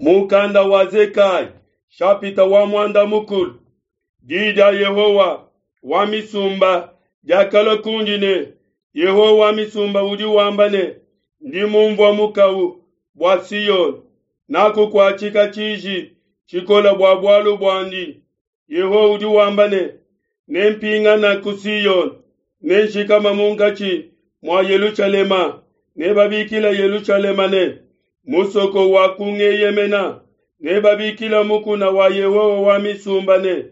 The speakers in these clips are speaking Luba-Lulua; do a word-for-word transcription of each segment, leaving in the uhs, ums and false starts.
Mukanda wa Zekaya, shapita wa muanda mukulu. Di dia Yehowa wa misumba diakalua kundi ne, Yehowa wa misumba udi wamba ne, ndi mumvua mukawu bua Siyone, nakukuatshika tshiji tshikola bua bualu buandi. Yehowa udi wamba ne, nempingana ku Siyone, nenshikama munkatshi mua Yelushalema, nebabikila Yelushalema ne, musoko wa kungeyemena, nebabikila mukuna wa Yehowa wa misumba ne,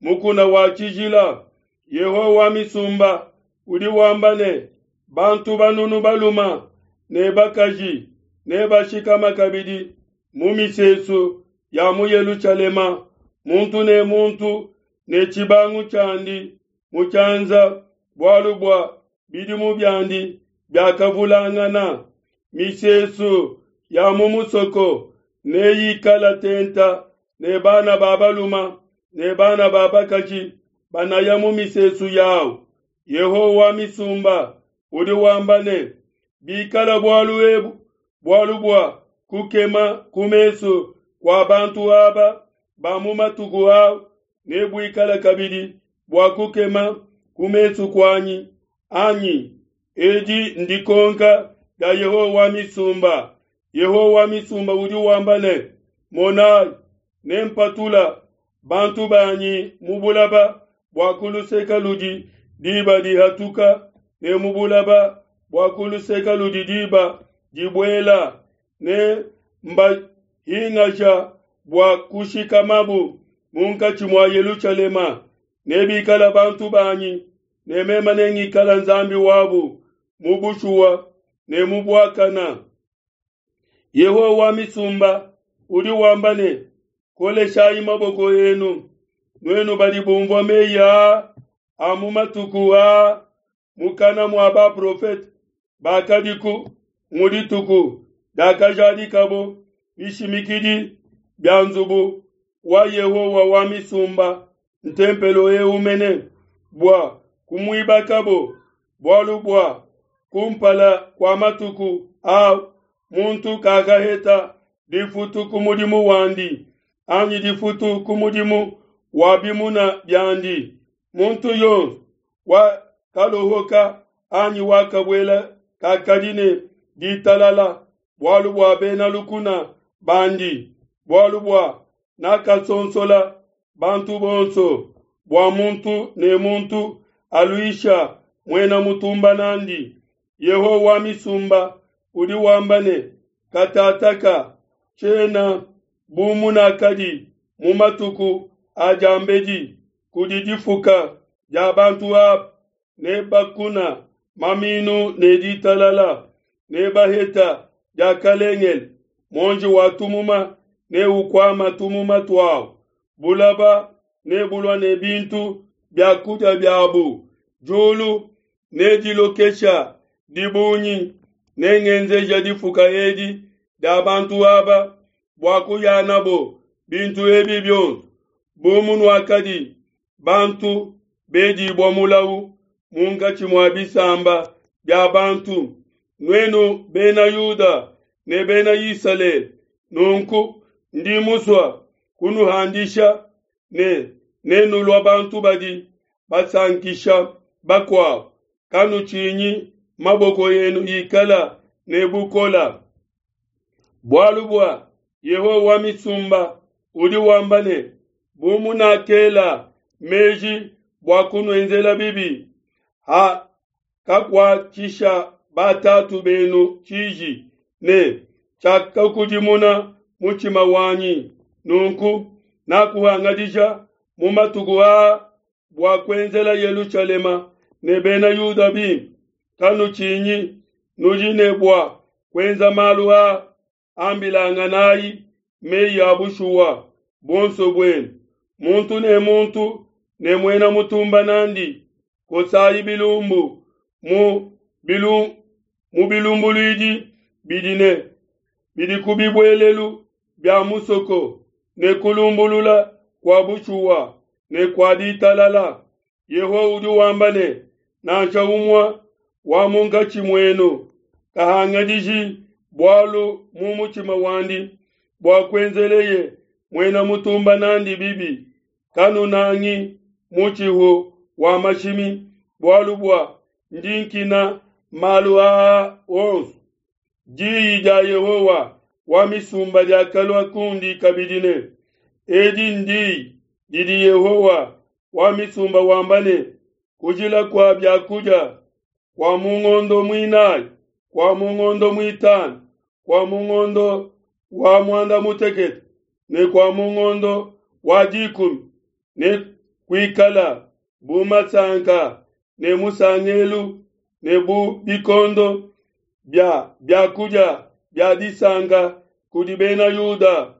mukuna wa tshijila. Yehowa wa misumba udi wamba ne, bantu banunu baluma ne bakaji nebashikama kabidi mu misesu ya mu Yelushalema, muntu ne muntu ne tshibangu tshiandi mu tshianza, bualu bua bidimu biandi biakavulangana. Misesu ya mu musoko neyikala tenta ne bana ba baluma ne bana ba bakaji banaya mu misesu yawu. Yehowa wa misumba udi wamba ne, bikala bualu ebu bualu bua kukema ku mesu kua bantu aba ba mu matuku au, nebuikala kabidi bua kukema ku mesu kuanyi anyi? Edi ndikonka dia Yehowa wa misumba. Yehowa wa misumba udi wamba ne, monai, nempatula bantu banyi mu bulaba bua kuluseka ludi diba dihatuka, ne mu bulaba bua kuluseka ludi diba dibuela, ne mbahingasha bua kushikamabu munkatshi mua Yelushalema. Nebikala bantu banyi, ne meme nengikala Nzambi wabu mu bushuwa ne mu buakana. Yehowa wa misumba udi wamba ne, koleshayi maboko enu, nuenu badi bumvua meyi aa a mu matuku aa mukana mua baprofete bakadiku mu dituku diakajadikabo bishimikidi bia nzubu wa Yehowa wa misumba, ntempelo eu mene, bua kumuibakabo, bualu bua kumpala kua matuku a muntu kakaheta difutu ku mudimu wandi, anyi difutu ku mudimu wa bimuna biandi. Muntu yonso wakalohoka anyi wakabuela kakadi ne ditalala, bualu bua bena lukuna bandi, bualu bua nakasonsola bantu bonso, bua muntu ne muntu aluisha muena mutumba nandi. Yehowa wa misumba udi wamba ne, katataka tshiena bu munakadi mu matuku a diambedi kudi difuka dia bantu aba, nebakuna maminu ne ditalala, nebaheta diakalengele, muonji wa tumuma neukuama tumuma tuawu, bulaba nebulua ne bintu bia kudia biabu, diulu nedilokesha dibungi. Nengenzeja difuka edi dia bantu aba bua kuyanabo bintu ebi bionso, bu munuakadi bantu bedibua mulawu munkatshi mua bisamba bia bantu, nuenu bena Yuda ne bena Isalele. Nunku ndi musua kunuhandisha ne nenulua bantu badi basankisha bakuabo. Kanutshinyi, maboko enu ikala ne bukola. Bualu bua Yehowa wa misumba udi wamba ne, bu munakela meji bua kunuenzela bibi, ha kakuatshisha batatu benu tshiji, ne tshiakakudimuna mutshima wanyi. Nunku nakuhangadija mu matuku aa bua kuenzela Yelushalema ne bena Yuda bimpe. Kanutshinyi, nudi ne bua kuenza malu aa, ambilanganayi meyi a bushuwa buonso buenu, muntu ne muntu ne muena mutumba nandi. Kosayi bilumbu mu bilu mu bilumbuluidi bidi ne bidi ku bibuelelu bia musoko, ne kulumbulula kua bushuwa ne kua ditalala. Yehowa udi wamba ne, nansha umue wa munkatshi muenu kahangadiji bualu mu mutshima wandi bua kuenzeleye muena mutumba n'andi bibi. Kanunangi mutshihu wa mashimi, bualu bua ndi nkina malu aa onso. Diyi dia Yehowa wa misumba diakalua kundi kabidi ne, Edi ndiyi didi Yehowa wa misumba wamba ne, kujila kua bia kudia kua mu ngondo muinayi, kua mu ngondo muitanu, kua mu ngondo wa muanda mutekete ne kua mu ngondo wa dikumi ne kuikala bu masanka ne musangelu ne bu bikondo bia biakudia bia disanka kudi bena Yuda.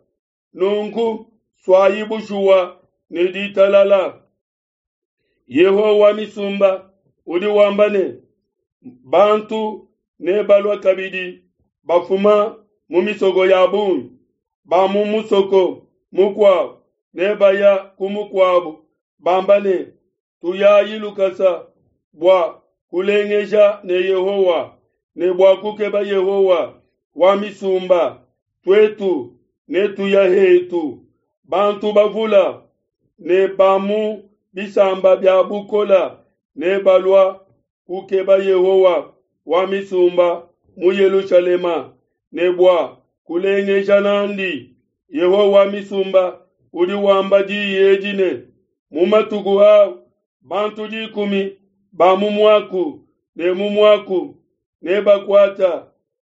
Nunku suayi bushuwa ne ditalala. Yehowa wa misumba udi wamba ne, bantu nebalua kabidi bafuma mu misoko ya bungi, ba mu musoko mukuabu nebaya ku mukuabu, bamba ne, tuyayi lukasa bua kulengeja ne Yehowa ne bua kukeba Yehowa wa misumba, tuetu netuya hetu. Bantu bavula ne ba mu bisamba bia bukola nebalua kukeba Yehowa wa misumba mu Yelushalema ne bua kulengeja n'andi. Yehowa wa misumba udi wamba diyi edi ne, mu matuku au bantu dikumi ba mu muaku ne mu muaku nebakuata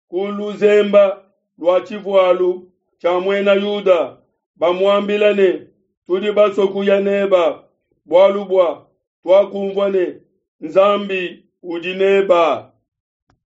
ku luzemba lua tshivualu tshia muena Yuda, bamuambila ne, tudi basue kuya neba, bualu bua tuakumvua ne, Nzambi udi neba.